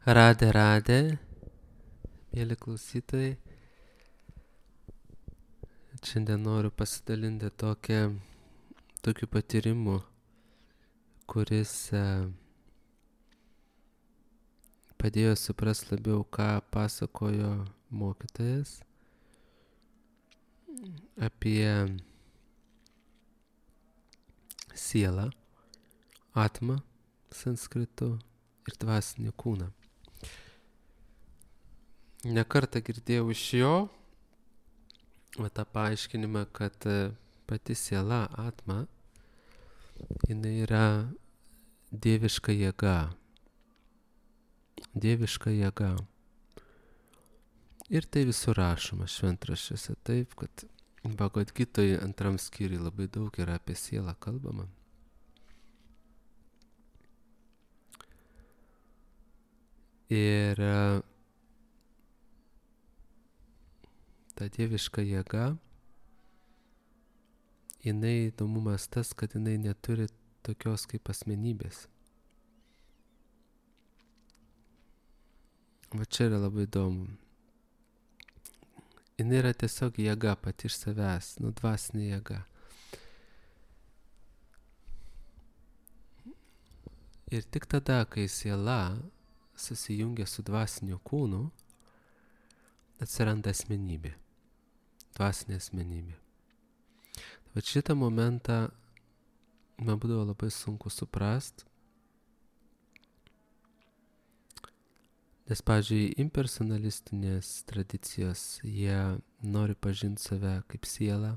Radė, mėly klausytojai. Šiandien noriu pasidalinti tokiu patyrimu, kuris padėjo suprasti labiau, ką pasakojo mokytojas apie sielą, atmą sanskritu ir dvasinį kūną. Nekartą girdėjau iš jo tą paaiškinimą, kad pati siela, atma, jinai yra dieviška jėga. Dieviška jėga. Ir tai visur rašoma šventraščiuose taip, kad Bhagavad Gitoje 2 skyriui labai daug yra apie sielą kalbama. Ir ta dieviška jėga, jinai įdomumas tas, kad jinai neturi tokios kaip asmenybės. Va čia yra labai įdomu. Jinai yra tiesiog jėga pati iš savęs, dvasinė jėga. Ir tik tada, kai siela susijungia su dvasiniu kūnu, atsiranda asmenybė, dvasinė asmenybė. Bet šitą momentą man būdavo labai sunku suprast, nes, pavyzdžiui, impersonalistinės tradicijos, jie nori pažinti save kaip sielą.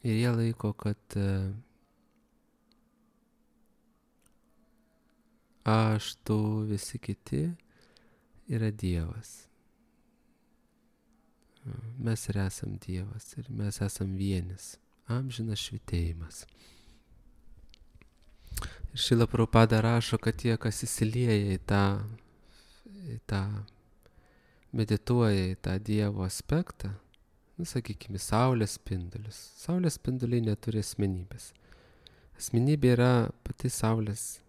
Ir jie laiko, kad aš, tu, visi kiti yra Dievas. Mes ir esam Dievas ir mes esam vienis, amžinas švytėjimas. Ir Šrila Prabhupada rašo, kad tie, kas įsilieja į tą medituoja į tą Dievo aspektą, sakykime, saulės spindulius. Saulės spinduliai neturi asmenybės. Asmenybė yra pati saulės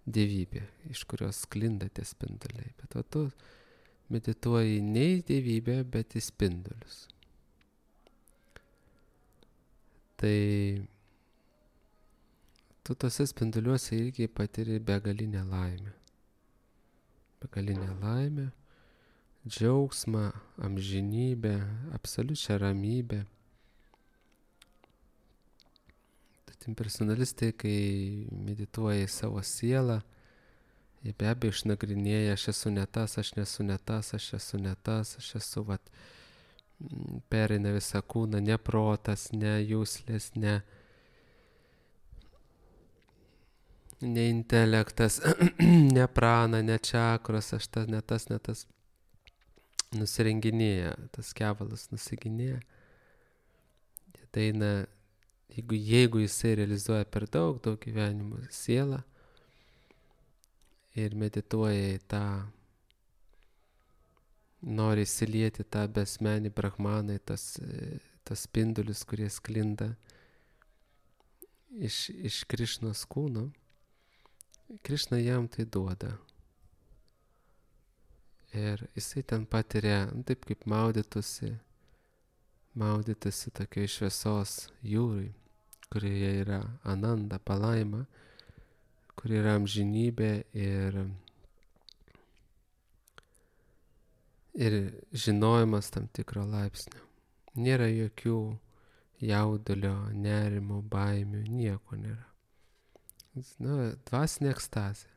dievybė, iš kurios sklinda tie spinduliai. Bet o tu medituoji ne į dievybę, bet į spindulius. Tai tu tose spinduliuose irgi patiri begalinę laimę. Begalinę laimę, džiaugsmą, amžinybę, absoliučią ramybę. Tad impersonalistai, kai medituoja į savo sielą, jie be abejo išnagrinėja, aš esu ne tas, aš nesu ne tas, aš esu ne tas, aš esu, pereina visą kūną, ne protas, ne jūslės, ne intelektas, ne prana, ne čakros, aš ne tas, nusirenginėja, tas kevalas nusiginėja. Tai jeigu jisai realizuoja per daug gyvenimų sielą ir medituoja į tą, nori įsilieti tą besmenį brahmaną, tas spindulius, kurie sklinda iš Krišnos kūno, Krišna jam tai duoda. Ir jisai ten patiria, taip kaip maudytųsi tokioj šviesos jūrai, kurioje yra ananda, palaima, kur yra amžinybė ir žinojimas tam tikro laipsnio. Nėra jokių jaudulio, nerimo, baimių, nieko nėra. Dvasinė ekstazė.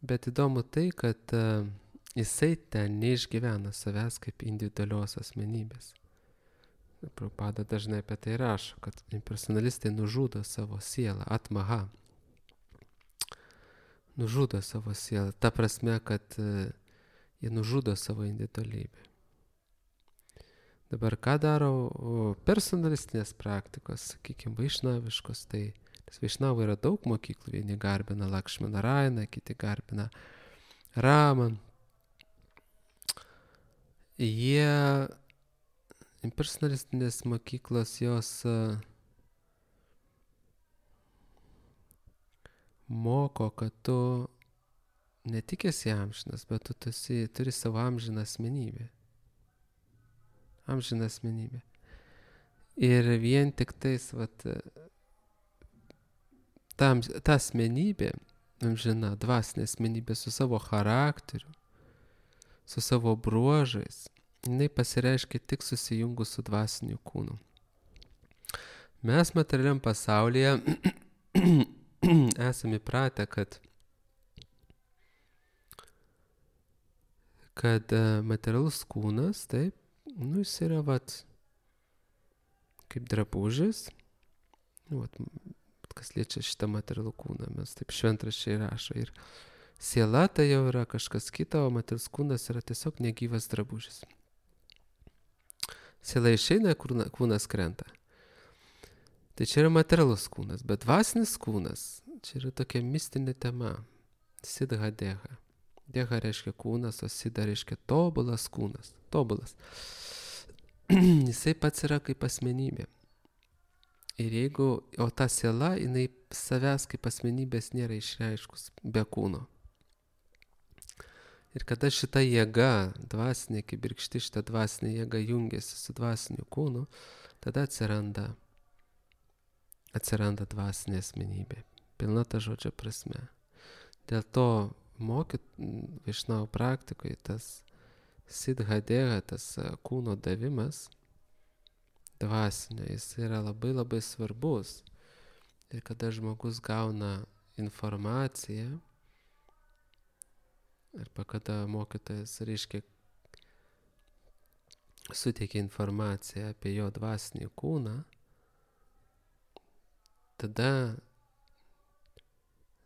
Bet įdomu tai, kad jisai ten neišgyvena savęs kaip individualios asmenybės. Prabhupada dažnai apie tai rašo, kad impersonalistai nužudo savo sielą, atmaha. Nužudo savo sielą. Ta prasme, kad jie nužudo savo individualybę. Dabar ką daro personalistinės praktikos, sakykime, vaišnaviškos, tai vaišnavų yra daug mokyklų, vieni garbina Lakšminarainą, kiti garbina Ramą. Impersonalistinės mokyklos jos moko, kad tu ne tik esi amžinas, bet tu turi savo amžiną asmenybę. Amžiną asmenybę. Ir vien tik tais, ta asmenybė, amžina, dvasinė asmenybė su savo charakteriu, su savo bruožais, jinai pasireiškia tik susijungus su dvasiniu kūnu. Mes materialiam pasaulyje esame įpratę, kad materialus kūnas, taip, jis yra kaip drabužis, kas liečia šitą materialų kūną, mes taip šventraščiai rašo. Ir siela tai jau yra kažkas kito, o materialus kūnas yra tiesiog negyvas drabužis. Siela išeina, kūnas krenta. Tai čia yra materialus kūnas, bet dvasinis kūnas, čia yra tokia mistinė tema. Siddha deha. Deha reiškia kūnas, o siddha reiškia tobulas kūnas. Tobulas. Jisai pats yra kaip asmenybė. O ta siela, jinai savęs kaip asmenybės nėra išreiškus be kūno. Ir kada šita jėga, dvasinė kibirkšti, šita dvasinė jėga jungiasi su dvasiniu kūnu, tada atsiranda dvasinė asmenybė. Pilna ta žodžio prasme. Dėl to Vaišnavų praktikoje tas siddha deha, tas kūno davimas dvasinio, jis yra labai labai svarbus. Ir kada žmogus gauna informaciją, arba kada mokytojas, reiškia, suteikia informaciją apie jo dvasinį kūną, tada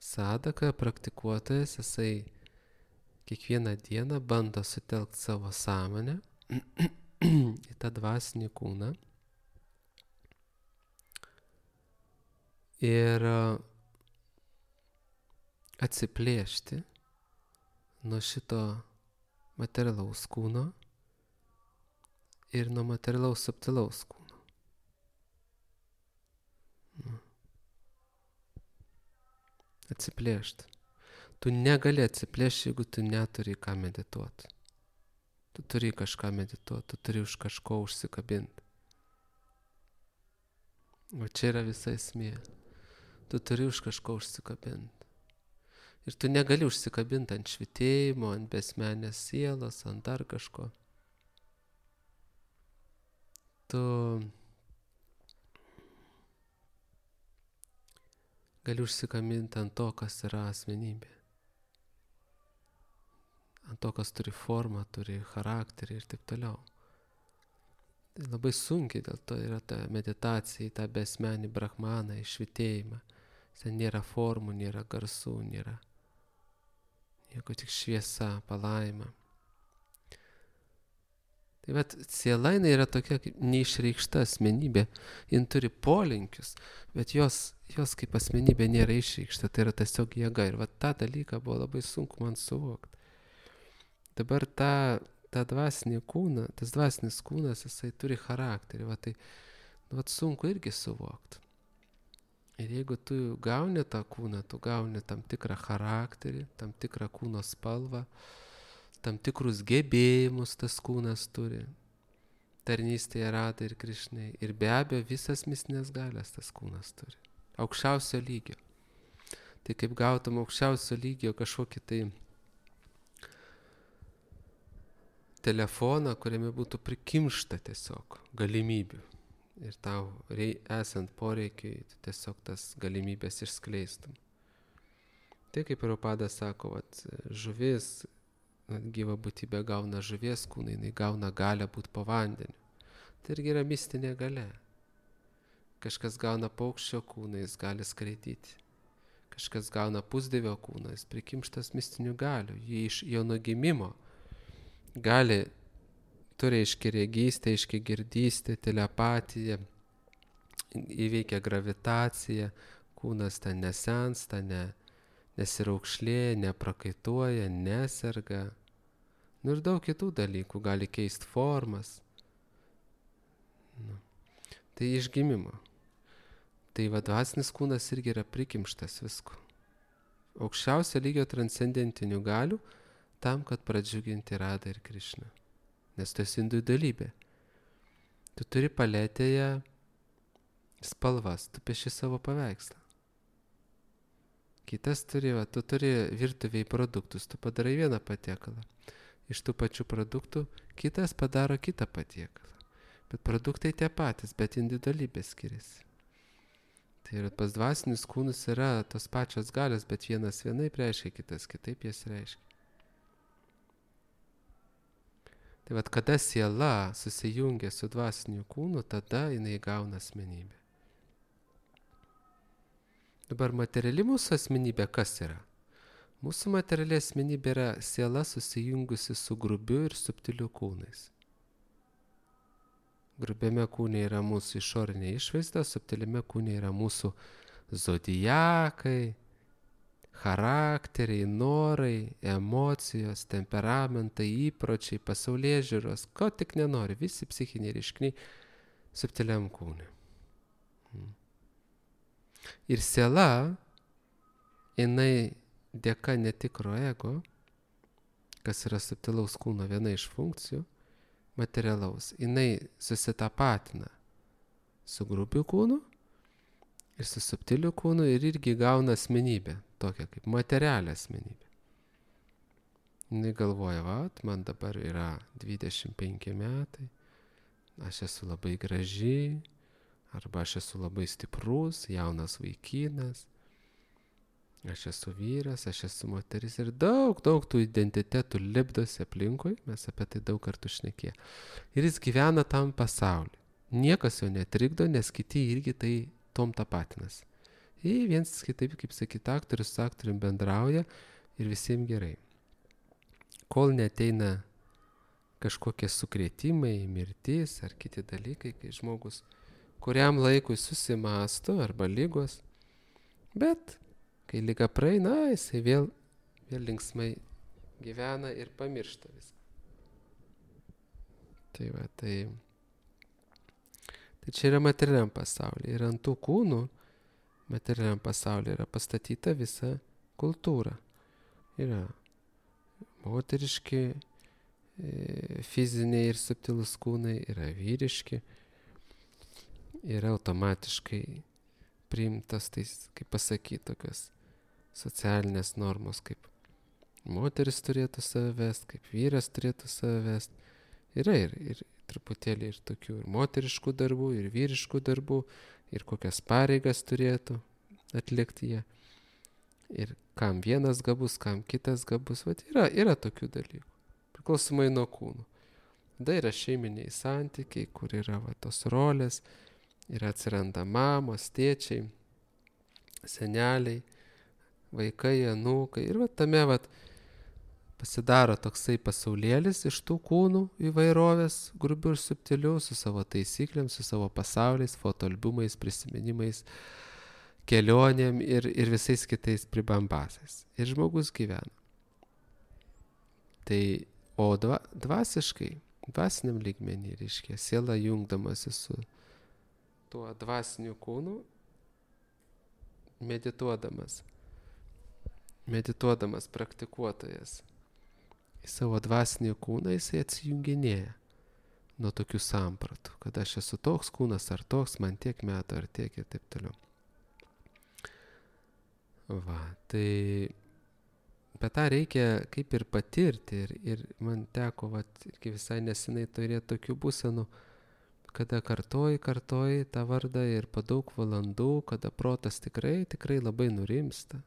sadaka, praktikuotojas, jisai kiekvieną dieną bando sutelkti savo sąmonę į tą dvasinį kūną ir atsiplėšti nuo šito materialaus kūno ir nuo materialaus subtilaus kūno. Atsiplėšti. Tu negali atsiplėšti, jeigu tu neturi ką medituoti. Tu turi kažką medituoti, tu turi už kažko užsikabinti. O čia yra visa esmė. Tu turi už kažko užsikabinti. Ir tu negali užsikabinti ant švitėjimo, ant besmenės sielos, ant dar kažko. Tu gali užsikabinti ant to, kas yra asmenybė. Ant to, kas turi formą, turi charakterį ir taip toliau. Tai labai sunkiai dėl to yra ta meditacija į tą besmenį brahmaną, į švitėjimą. Ten nėra formų, nėra garsų, nėra nieko, tik šviesa, palaima. Tai vat siela jinai yra tokia kaip neišreikšta asmenybė, jin turi polinkius, bet jos kaip asmenybė nėra išreikšta, tai yra tiesiog jėga. Ir vat tą dalyką buvo labai sunku man suvokti. Dabar tą dvasinį kūną, tas dvasinis kūnas, jisai turi charakterį, vat sunku irgi suvokti. Ir jeigu tu gauni tą kūną, tu gauni tam tikrą charakterį, tam tikrą kūno spalvą, tam tikrus gebėjimus tas kūnas turi. Tarnystėje Radai ir Krišnai. Ir be abejo visas mistinės galias tas kūnas turi. Aukščiausio lygio. Tai kaip gautum aukščiausio lygio kažkokį tai telefoną, kuriame būtų prikimšta tiesiog galimybių. Ir tau esant poreikiai, tiesiog tas galimybės išskleistum. Tai kaip Prabhupada sako, žuvis, gyva būtybė gauna žuvies kūną, jinai gauna galią būti po vandeniu. Tai irgi yra mistinė galia. Kažkas gauna paukščio kūną, jis gali skraidyti. Kažkas gauna pusdievio kūną, jis prikimštas mistinių galių. Jį iš jo nuo gimimo turi aiškiai regystę, aiškiai girdystę, telepatiją, įveikia gravitaciją, kūnas ten nesensta, nesiraukšlėja, neprakaituoja, neserga. Ir daug kitų dalykų, gali keisti formas. Tai iš gimimo. Tai dvasinis kūnas irgi yra prikimštas visko. aukščiausio lygio transcendentinių galių tam, kad pradžiuginti Radą ir Krišną. Nes tu esi individualybė. Tu turi paletėje spalvas, tu pieši savo paveikslą. Kitas tu turi virtuviai produktus, tu padarai vieną patiekalą. Iš tų pačių produktų kitas padaro kitą patiekalą. Bet produktai tie patys, bet individualybė skiriasi. Tai yra pas dvasinius kūnus yra tos pačios galios, bet vienas vienaip reiškia, kitas kitaip jas reiškia. Tai vat kada siela susijungia su dvasiniu kūnu, tada jinai gauna asmenybę. Dabar materiali mūsų asmenybė kas yra? Mūsų materiali asmenybė yra siela susijungusi su grubiu ir subtiliu kūnais. Grubiame kūne yra mūsų išorinė išvaizda, subtiliame kūne yra mūsų zodiakai, charakteriai, norai, emocijos, temperamentai, įpročiai, pasaulėžiūros, ko tik nenori, visi psichiniai reiškiniai subtiliam kūne. Ir siela, jinai dėka netikro ego, kas yra subtilaus kūno viena iš funkcijų, materialaus, jinai susitapatina su grubiu kūnu ir su subtiliu kūnu ir irgi gauna asmenybę, tokią kaip materialią asmenybę. Jinai galvoja, man dabar yra 25 metai, aš esu labai graži, arba aš esu labai stiprus, jaunas vaikinas, aš esu vyras, aš esu moteris ir daug tų identitetų lipdosi aplinkui, mes apie tai daug kartų šnekėję. Ir jis gyvena tam pasauliu. Niekas jo netrikdo, nes kiti irgi tai tom tapatinasi. Ir viens kitaip, kaip sakyti, aktorius su aktorium bendrauja ir visiems gerai. Kol neteina kažkokie sukrėtimai, mirtis ar kiti dalykai, kai žmogus kuriam laikui susimąsto arba ligos, bet kai liga praeina, jisai vėl linksmai gyvena ir pamiršta viską. Tai čia yra materialiam pasaulyje. Ir ant tų kūnų materialiam pasaulyje yra pastatyta visa kultūra. Yra moteriški, fiziniai ir subtilūs kūnai, yra vyriški. Yra automatiškai priimtas, kaip pasakyti, tokios socialinės normos, kaip moteris turėtų save vest, kaip vyras turėtų save vest. Yra ir truputėlį ir tokių ir moteriškų darbų, ir vyriškų darbų, ir kokias pareigas turėtų atlikti jie. Ir kam vienas gabus, kam kitas gabus. Vat yra tokių dalykų, priklausomai nuo kūnų. Tada yra šeiminiai santykiai, kur yra tos rolės, ir atsiranda mamos, tėčiai, seneliai, vaikai, anūkai. Ir tame pasidaro toksai pasaulėlis iš tų kūnų įvairovės, grubių ir subtilių, su savo taisyklėm, su savo pasauliais, fotoalbumais, prisiminimais, kelionėm ir visais kitais pribambasais. Ir žmogus gyvena. Tai, o dvasiškai, dvasiniam lygmenį, reiškia, siela jungdamasi su tuo dvasiniu kūnu, medituodamas praktikuotojas į savo dvasinį kūną, jisai atsijunginėja nuo tokių sampratų, kad aš esu toks kūnas ar toks, man tiek metų ar tiek ir taip toliau. Tai bet tą reikia kaip ir patirti ir man teko irgi visai nesenai turėti tokių būsenų, kada kartoji tą vardą ir po daug valandų, kada protas tikrai labai nurimsta.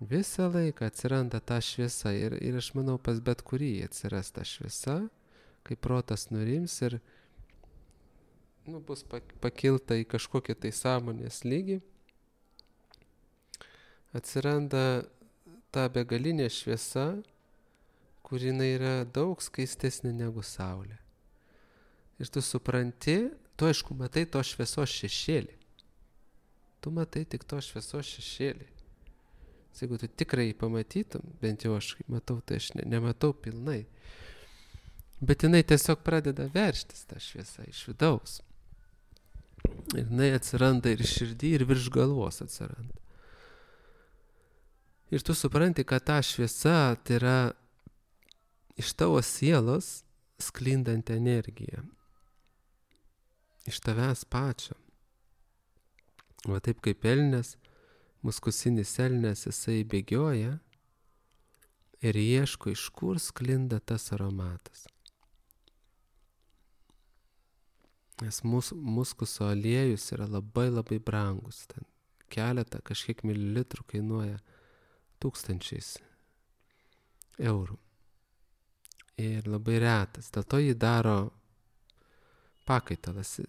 Visą laiką atsiranda ta šviesa ir aš manau, pas bet kurį atsiras ta šviesa, kai protas nurims ir bus pakilta į kažkokį tai sąmonės lygį. Atsiranda ta begalinė šviesa, kuri yra daug skaistesnė negu saulė. Ir tu supranti, tu aišku matai to šviesos šešėlį. Tu matai tik to šviesos šešėlį. Jeigu tu tikrai pamatytum, bent jau aš matau, tai aš nematau pilnai. Bet jinai tiesiog pradeda verštis tą šviesą iš vidaus. Ir jinai atsiranda ir širdį, ir virš galvos atsiranda. Ir tu supranti, kad ta šviesa tai yra iš tavo sielos sklindanti energija. Iš tavęs pačio. Va taip kaip elnias, muskusinis elnias, jisai bėgioja ir ieško, iš kur sklinda tas aromatas. Nes muskuso aliejus yra labai labai brangus. Ten keletą kažkiek mililitrų kainuoja 1000 eurų. Ir labai retas. Dėl to jį daro pakaitalas.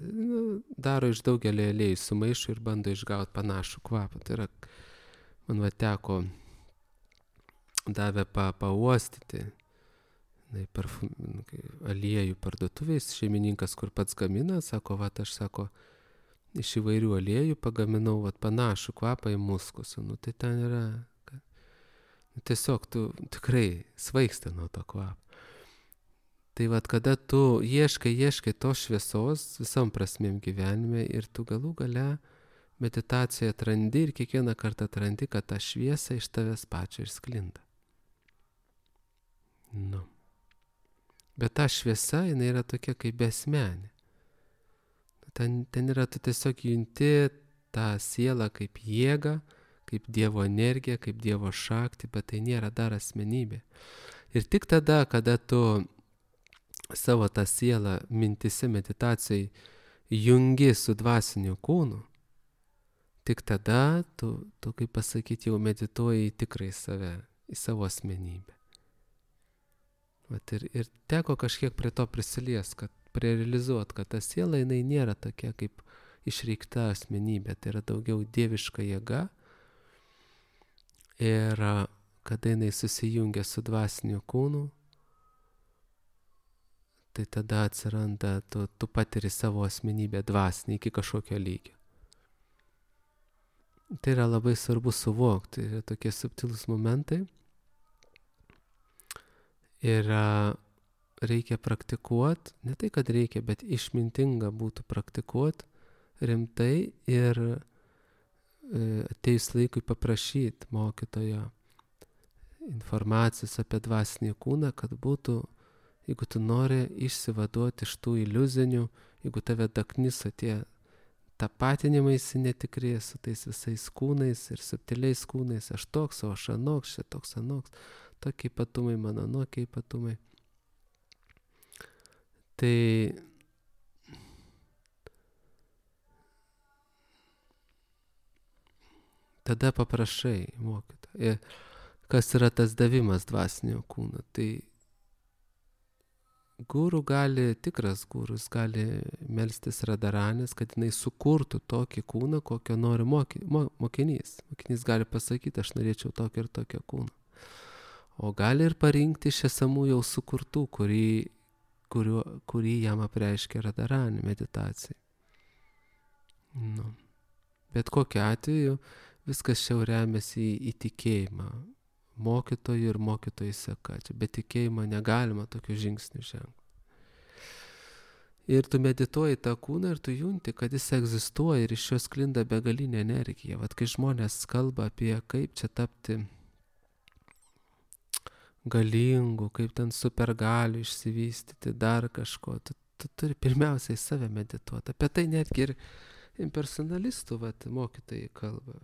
Daro iš daugelio aliejų, sumaišo ir bando išgauti panašų kvapą. Tai yra, man teko davė pauostyti aliejų parduotuvės šeimininkas, kur pats gamina, sako, aš sako, iš įvairių aliejų pagaminau panašų kvapą į muskusą. Tai ten yra, tiesiog tu tikrai svaigsti nuo to kvapo. Tai kada tu ieškai tos šviesos visom prasmėm gyvenime ir tu galų gale meditacijoje atrandi ir kiekvieną kartą atrandi, kad ta šviesa iš tavęs pačio ir sklinda. Bet ta šviesa, jinai yra tokia kaip besmenė. Ten yra, tu tiesiog junti tą sielą kaip jėgą, kaip Dievo energiją, kaip Dievo šaktį, bet tai nėra dar asmenybė. Ir tik tada, kada tu savo tą sielą mintise meditacijai jungi su dvasiniu kūnu, tik tada tu kaip pasakyti, jau medituoji į tikrai save, į savo asmenybę. Ir teko kažkiek prie to prisilies, kad realizuot, kad ta siela jinai nėra tokia kaip išreikšta asmenybė, tai yra daugiau dieviška jėga. Ir kada jinai susijungia su dvasiniu kūnu, tai tada atsiranda, tu patiri savo asmenybę dvasinį iki kažkokio lygio. Tai yra labai svarbu suvokti, tai yra tokie subtilūs momentai. Ir reikia praktikuoti, ne tai, kad reikia, bet išmintinga būtų praktikuoti rimtai ir ateis laikui paprašyti mokytojo informacijos apie dvasinį kūną, kad būtų, jeigu tu nori išsivaduoti iš tų iliuzinių, jeigu tave dakniso tie tapatinimaisi netikri su tais visais kūnais ir subtiliais kūnais, aš toks, o aš anoks, čia toks anoks, tokie ypatumai, mano anokie ypatumai. Tai tada paprašai mokytojo. Kas yra tas davimas dvasinio kūno? Tai guru gali, tikras gurus gali melstis Radharanės, kad jinai sukurtų tokį kūną, kokio nori mokinys. Mokinys gali pasakyti, aš norėčiau tokio ir tokio kūno. O gali ir parinkti iš esamų jau sukurtų, kurį jam apreiškia Radharanė meditacijai. Bet kokiu atveju viskas čia remiasi į tikėjimą. Mokytojų ir mokytojų seka. Čia be tikėjimo negalima tokių žingsnių žengti. Ir tu medituoji tą kūną ir tu junti, kad jis egzistuoja ir iš jo sklinda begalinė energija. Kai žmonės kalba apie kaip čia tapti galingu, kaip ten supergaliu išsivystyti, dar kažko, tu turi pirmiausiai save medituoti. Apie tai netgi ir impersonalistų mokytojai kalba.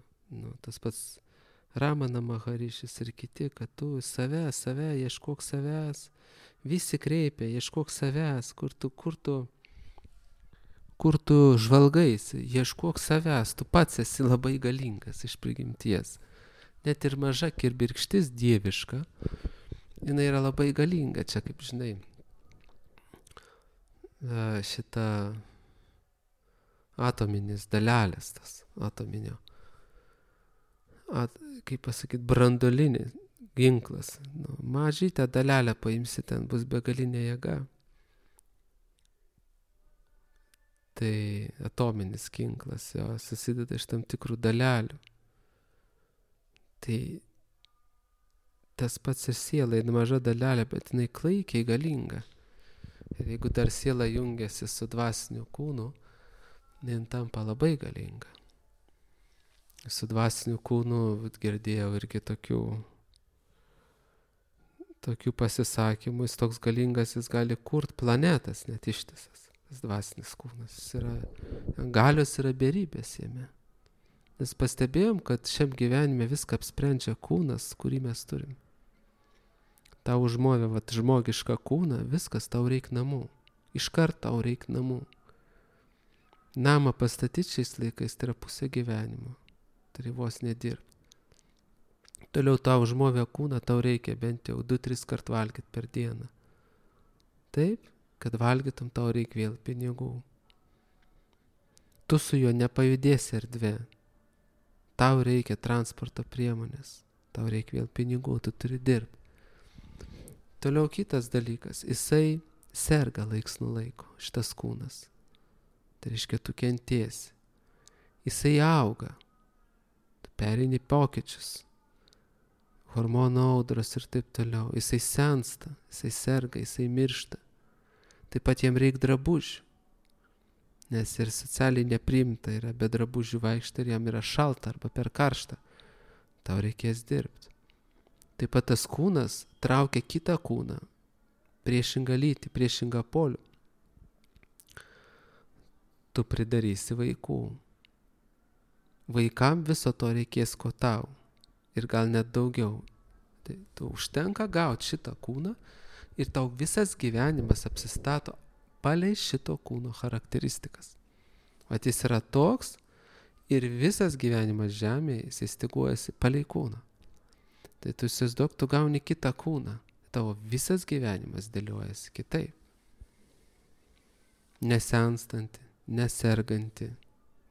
Tas pats Ramana Maharišis ir kiti, kad tu save, ieškok savęs, visi kreipia, ieškok savęs, kur tu žvalgaisi, ieškok savęs, tu pats esi labai galingas iš prigimties. Net ir maža kirbirkštis dieviška, jinai yra labai galinga, čia kaip žinai, šita atominis dalelės, tas atominio, kaip pasakyti, branduolinis ginklas. Mažytę dalelę paimsi, ten bus begalinė jėga. Tai atominis ginklas, jo susideda iš tam tikrų dalelių. Tai tas pats ir siela, maža dalelė, bet jinai klaikiai galinga. Ir jeigu dar siela jungiasi su dvasiniu kūnu, jinai tampa labai galinga. Su dvasiniu kūnu girdėjau irgi tokių pasisakymų, jis toks galingas, jis gali kurt planetas net ištisas. Tas dvasinis kūnas, galios yra beribės jame. Nes pastebėjom, kad šiam gyvenime viską apsprendžia kūnas, kurį mes turim. Tau užmovė žmogišką kūną, viskas, tau reik namų. Iškart tau reik namų. Namą pastatyti šiais laikais tai yra pusė gyvenimo. Tai vos nedirbti. Toliau tau užmovė kūną, tau reikia bent jau 2-3 kart valgyti per dieną. Taip, kad valgytum, tau reikia vėl pinigų. Tu su juo nepajudėsi erdvė. Tau reikia transporto priemonės. Tau reikia vėl pinigų, tu turi dirbti. Toliau kitas dalykas. Jisai serga laiks nuo laiko, šitas kūnas. Tai reiškia, tu kentėsi. Jisai auga. Tu pereini pokyčius. Hormonų audros ir taip toliau. Jisai sensta, jisai serga, jisai miršta. Taip pat jam reikia drabužių. Nes ir socialiai nepriimta yra be drabužių vaikšta ir jam yra šalta arba per karšta. Tau reikės dirbti. Taip pat tas kūnas traukia kitą kūną, priešingą lytį, priešingą polių. Tu pridarysi vaikų. Vaikam viso to reikės ko tau. Ir gal net daugiau. Tai tu užtenka gauti šitą kūną ir tau visas gyvenimas apsistato palei šito kūno charakteristikas. O jis yra toks ir visas gyvenimas žemėje įsistyguojasi palei kūną. Tai tu įsivaizduok, tu gauni kitą kūną. Tavo visas gyvenimas dėliojasi kitaip. Nesenstanti, neserganti,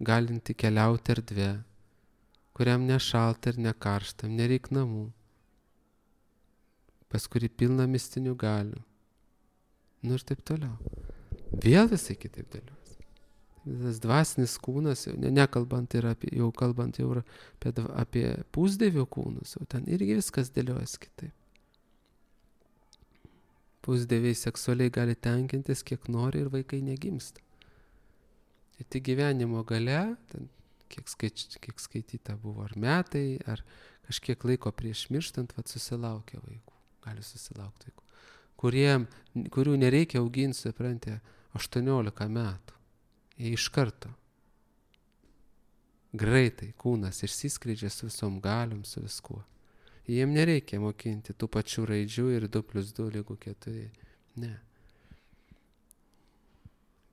galinti keliauti erdvė, kuriam nešalta ir nekaršta, nereik namų, pas kurį pilna mistinių galių. Nu ir taip toliau. Vėl visai kitaip dėlios. Tas dvasinis kūnas, nekalbant ir kalbant jau apie pusdievių kūnus, jau ten irgi viskas dėlios kitaip. Pusdieviai seksualiai gali tenkintis, kiek nori ir vaikai negimsta. Ir tik gyvenimo gale, ten kiek skaityta buvo, ar metai, ar kažkiek laiko prieš mirštant, susilaukia vaikų, gali susilaukti vaikų, kurių nereikia auginti, suprantate, 18 metų. Jie iš karto greitai kūnas išsiskleidžia su visom galiom, su viskuo. Jiem nereikia mokinti tų pačių raidžių ir 2+2 lygu 4. Ne.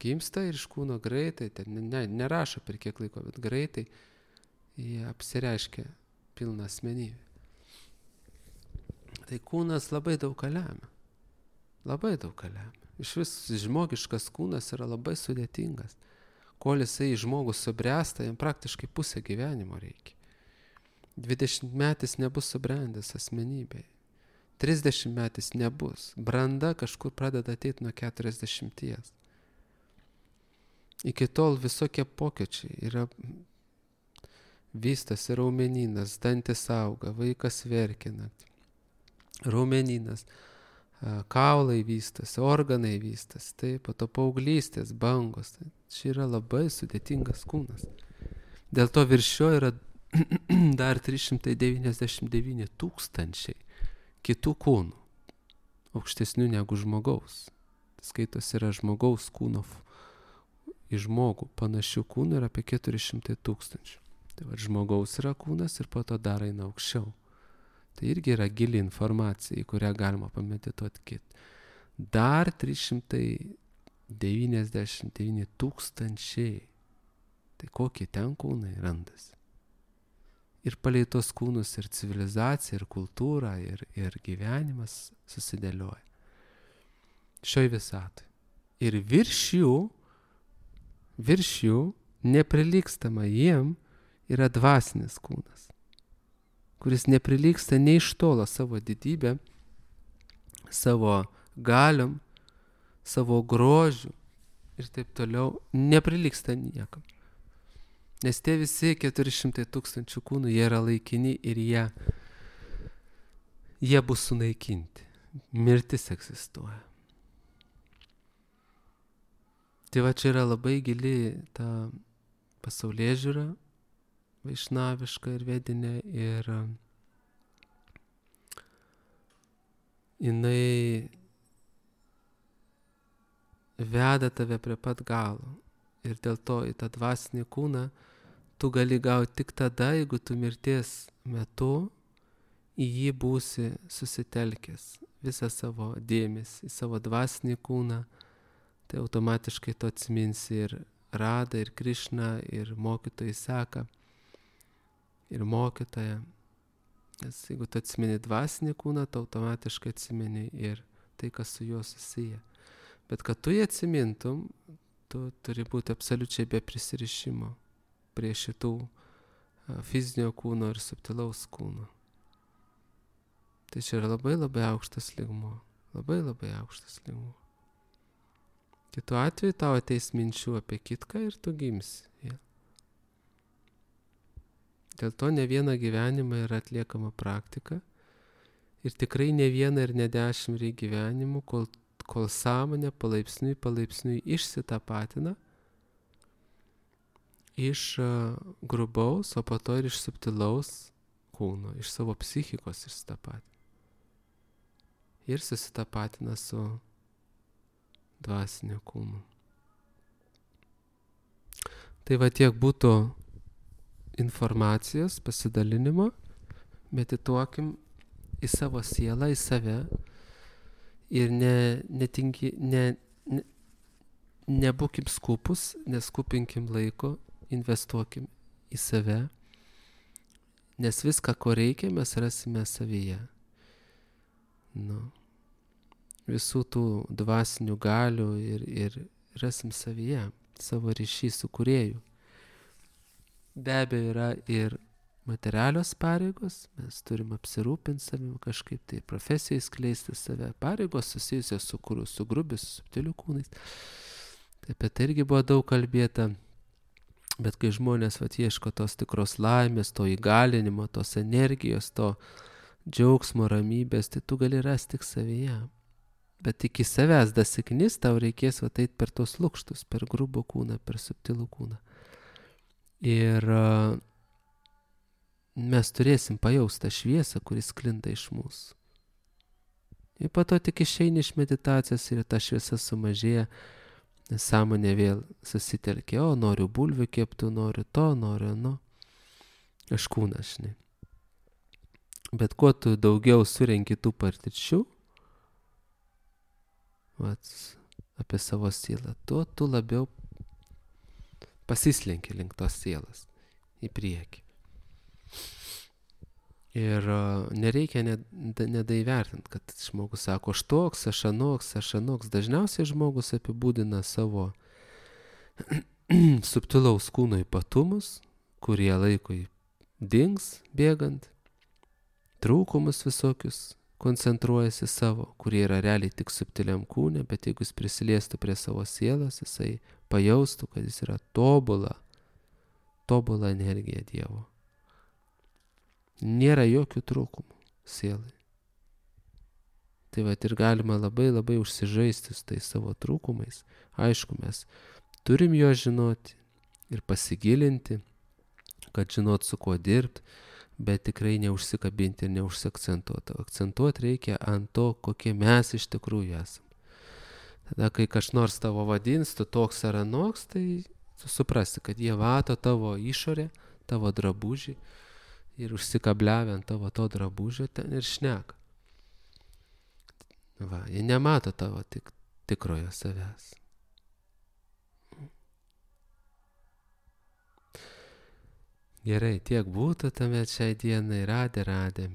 Gimsta ir iš kūno greitai, nerašo per kiek laiko, bet greitai jie apsireiškia pilną asmenybę. Tai kūnas labai daug ką lemia. Labai daug ką lemia. Iš vis žmogiškas kūnas yra labai sudėtingas. Kol jisai žmogus subręsta, jam praktiškai pusę gyvenimo reikia. 20 metais nebus subrendęs asmenybėje. 30 metais nebus. Branda kažkur pradeda ateiti nuo 40. Iki tol visokie pokyčiai yra vystosi raumenynas, dantis auga, vaikas verkina, raumenynas, kaulai vystosi, organai vystosi, taip, po to paauglystės, bangos. Tai čia yra labai sudėtingas kūnas. Dėl to virš jo yra dar 399 000 kitų kūnų, aukštesnių negu žmogaus. Skaitos yra žmogaus kūno į žmogų panašių kūnų yra apie 400 000. Tai va, žmogaus yra kūnas ir po to dar eina aukščiau. Tai irgi yra gili informacija, į kurią galima pamedituoti kit. Dar 399 000. Tai kokie ten kūnai randasi. Ir palei tos kūnus ir civilizacija, ir kultūra, ir gyvenimas susidėlioja. Šioj visatoj. Ir virš jų, neprilygstama jiem, yra dvasinis kūnas, kuris neprilygsta nei iš tolo savo didybę, savo galiom, savo grožiu ir taip toliau, neprilygsta niekam. Nes tie visi 400 000 kūnų, jie yra laikini ir jie bus sunaikinti. Mirtis egzistuoja. Tai va čia yra labai gili ta pasaulėžiūra, vaišnaviška ir vedinė ir jinai veda tave prie pat galo. Ir dėl to į tą dvasinį kūną tu gali gauti tik tada, jeigu tu mirties metu į jį būsi susitelkęs visą savo dėmesį, į savo dvasinį kūną, tai automatiškai tu atsiminsi ir Radą, ir Krišną, ir mokytojai Seką, ir mokytoją. Nes jeigu tu atsimeni dvasinį kūną, tu automatiškai atsimeni ir tai, kas su juo susiję. Bet kad tu jį atsimintum, tu turi būti absoliučiai be prisirišimo prie šitų fizinio kūno ir subtilaus kūno. Tai čia yra labai labai aukštas lygmuo. Labai labai aukštas lygmuo. Kitu atveju tau ateis minčių apie kitką ir tu gimsi. Ja. Dėl to ne vieną gyvenimą yra atliekama praktika ir tikrai ne vieną ir ne 10 gyvenimų, kol sąmonė palaipsniui išsitapatina iš grubaus, o po to ir iš subtilaus kūno, iš savo psichikos išsitapatina. Ir susitapatina su dvasinio kūnu. Tai va tiek būtų informacijos, pasidalinimo, medituokim į savo sielą, į save ir nebūkim skupus, neskupinkim laiko, investuokim į save, nes viską, ko reikia, mes rasime savyje. Visų tų dvasinių galių ir rasim savyje, savo ryšį su kūrėju. Be abejo yra ir materialios pareigos, mes turim apsirūpinti savim kažkaip, tai profesijai skleisti save, pareigos susijusios su grubiais, su subtiliu kūnais. Tai apie tai irgi buvo daug kalbėta, bet kai žmonės ieško tos tikros laimės, to įgalinimo, tos energijos, to džiaugsmo, ramybės, tai tu gali rasti tik savyje. Bet iki savęs dasiknis, tau reikės eit per tos lukštus, per grubų kūną, per subtilų kūną. Ir mes turėsim pajausti tą šviesą, kuris sklinda iš mūsų. Ir po to tik išeini iš meditacijos ir ta šviesa sumažėja, nes sąmonė vėl susitelkia, noriu bulvių keptų, noriu to, noriu ano. Aš kūnas, žinai. Bet kuo tu daugiau surenki tų patirčių, apie savo sielą, tuo tu labiau pasislenki link tos sielos į priekį. Ir nereikia nedaivertinti, kad žmogus sako, aš toks, aš anoks. Dažniausiai žmogus apibūdina savo subtilaus kūno ypatumus, kurie laikui dings bėgant, trūkumus visokius koncentruojasi savo, kurie yra realiai tik subtiliam kūne, bet jeigu jis prisiliestų prie savo sielos, jisai pajaustų, kad jis yra tobula energija Dievo. Nėra jokių trūkumų sielai. Tai ir galima labai labai užsižaisti su tais savo trūkumais. Aišku, mes turim jo žinoti ir pasigilinti, kad žinot su kuo dirbti, bet tikrai neužsikabinti ir neužsiakcentuoti. Akcentuoti reikia ant to, kokie mes iš tikrųjų esam. Tada, kai kas nors tavo vadins, tu toks ar anoks, tai tu suprasi, kad jie mato tavo išorę, tavo drabužį ir užsikabliavę ant tavo to drabužio ten ir šneka. Jie nemato tavo tikrojo savęs. Gerai, tiek būtų tame šiai dienai. Radė.